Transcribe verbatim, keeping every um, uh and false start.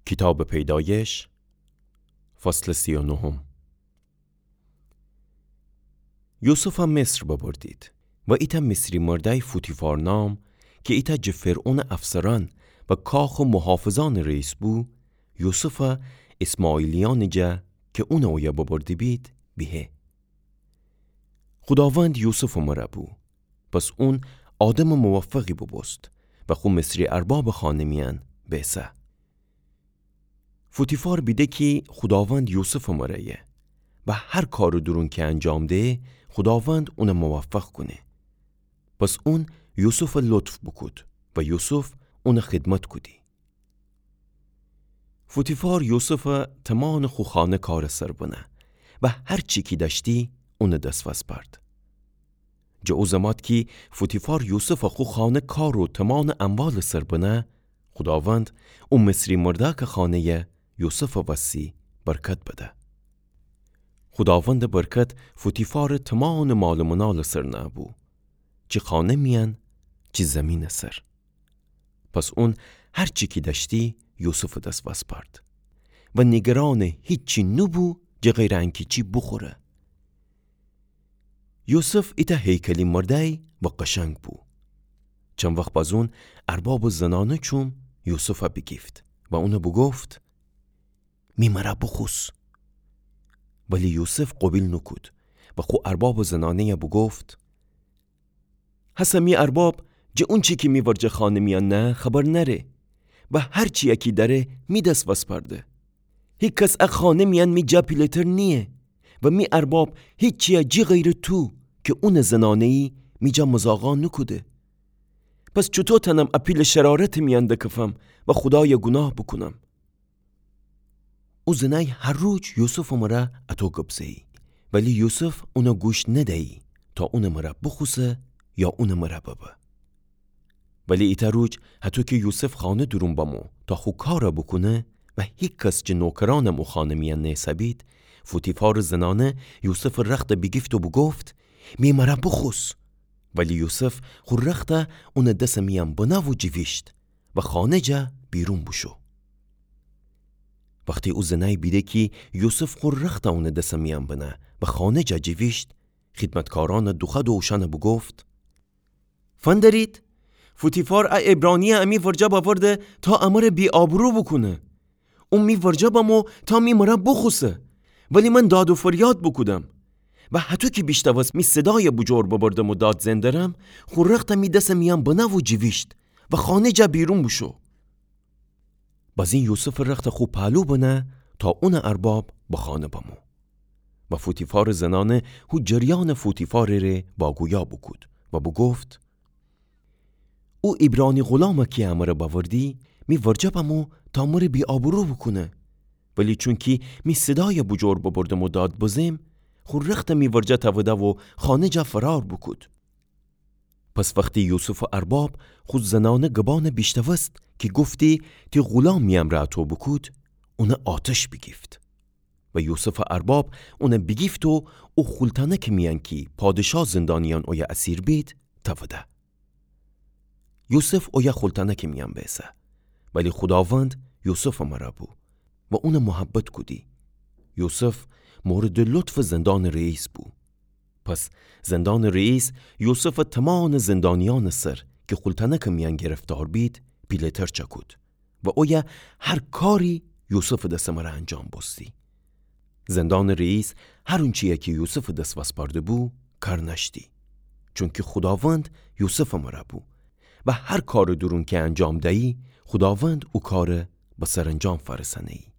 کیتابٚ پیدایش، فصلٚ سی و نهم. یوسفَ مصر ببردید و ایتأ مصری مردأی فوتیفار نام، کی ایتأ جٚه فرعونٚ افسرأن و کاخٚ محافظأنٚ رئیس بو، یوسفَ اسماعیلیأنٚ جا کی اونَ اویه ببرده بید، بیهه. خوداوند یوسفٚ مرأ بو، پس اون آدمٚ موفقی بوبوست و خو مصری اربابٚ خانه میأن بیسه. فوتیفار بیده کی خوداوند یوسفٚ مرأیه و هر کارٚ دورون کی انجام ده، خوداوند اونَ موفق کونه. پس اون یوسفَ لطف بوکود و یوسف اونَ خدمت کودی. فوتیفار یوسفَ تمانٚ خو خانه کارٚ سر بنه و هر چی کی دأشتی اونٚ دس وسپرد. جٚه او زمات کی فوتیفار یوسفَ خو خانه کار و تمانٚ اموالٚ سر بنه، خوداوند او مصری مردأکٚ خانه‌یَ یوسفٚ وسی برکت بده. خوداوندٚ برکت فوتیفارٚ تمانٚ مالٚ منالٚ سر نه‌بو، چی خانه میأن چی زیمینٚ سر. پس اون هر چی کی دأشتی یوسفٚ دس وسپرد و نیگرانٚ هیچی نوبو جٚه غیرٚ انکی چی بوخوره. یوسف ایتأ هیکلی مردأی و قشنگ بو. چند وخت بازون اربابٚ زنانه چوم یوسفَ بیگیفت و اونَ بوگفت: می مرأ بوخوس. ولی یوسف قوبیل نوکود و خو اربابٚ زنانه‌یَ بوگفت: هسه می ارباب جٚه اونچی کی می ورجه خانه میأن نه خبر نأره و هر چیی کی دأره می دس وسپرده. هیکس ا خانه میأن می جا پیله‌تر نییه و می ارباب هیچیی جی غیرٚ تو کی اونٚ زنانه‌یی می جا مزاقا نوکوده. پس چوطو تأنم ا پیلٚ شرارتٚ میأن دکفم و خودایَ گوناه بوکونم؟ او زنأی هر روج یوسفٚ مرأ اطو گب زه‌یی، ولی یوسف اونَ گوش ندیی تا اونٚ مرأ بوخوسه یا اونٚ مرأ ببه. ولی ایتأ روج هطو کی یوسف خانه دورون بمو تا خو کارَ بوکونه و هیکس جٚه نوکرأنم او خانه میأن نیسه‌بید، فوتیفارٚ زنانه یوسفٚ رختَ بیگیفت و بوگفت: می مرأ بوخوس. ولی یوسف خو رختَ اونٚ دسٚ میأن بنه و جیویشت و خانه جا بیرون بوشو. وختی او زنأی بیده کی یوسف خو رختَ اونٚ دسٚ میأن بنه و خانه جا جیویشت، خیدمتکارأنَ دوخوأد و اوشأنَ بوگفت: فندرید، فوتیفار ا عبرانی‌یَ امی ورجه بأورده تا امره بی‌آبرو بوکونه. او می ورجه بمو تا می مرأ بوخوسه. ولی من داد و فریاد بوکودم و هطو کی بیشتأوست می صدایَ بوجور ببردم و داد زئن درم، خو رختَ می دسٚ میأن بنه و جیویشت و خانه جا بیرون بوشو. بازین یوسفٚ رختَ خو پهلو بنه تا اونٚ ارباب به خانه بمو. و فوتیفارٚ زنانه هو جریأنٚ فوتیفارٚ ره واگویا بوکود و بوگفت: او عبرانی غلامَ کی امره بأوردی، می ورجه بمو تا مره بی‌آبرو بوکونه. ولی چونکی می صدایَ بوجور ببردم و داد بزم، خو رختَ می ورجه تأوده و خانه جا فرار بوکود. پس وختی یوسفٚ ارباب خو زنانه گبأنَ بیشتأوست کی گفتی: تی غلام می امرأ اطو بوکود، اونَ آتش بیگیفت. و یوسفٚ ارباب اونَ بیگیفت و او خولتأنکٚ میأن کی پادشا زندانیأن اویه اسیر بید، تأوده. یوسف اویه خولتأنکٚ میأن بیسه، ولی خوداوند یوسفٚ مرأ بو و اونَ محبت کودی. یوسف موردٚ لطفٚ زندانٚ رئیس بو. پس زندانٚ رئیس یوسفَ تمانٚ زندانیأنٚ سر کی خولتأنکٚ میأن گرفتار بید، پیله‌تر چأکود و اویه هر کاری یوسفٚ دسٚ مرأ انجام بوستی. زندانٚ رئیس هر اونچیی کی یوسفٚ دس وسپأرده بو، کار نأشتی. چونکی خوداوند یوسفٚ مرأ بو و هر کارٚ دورون کی انجام دیی، خوداوند او کارَ به سرانجام فأرسأنه‌یی.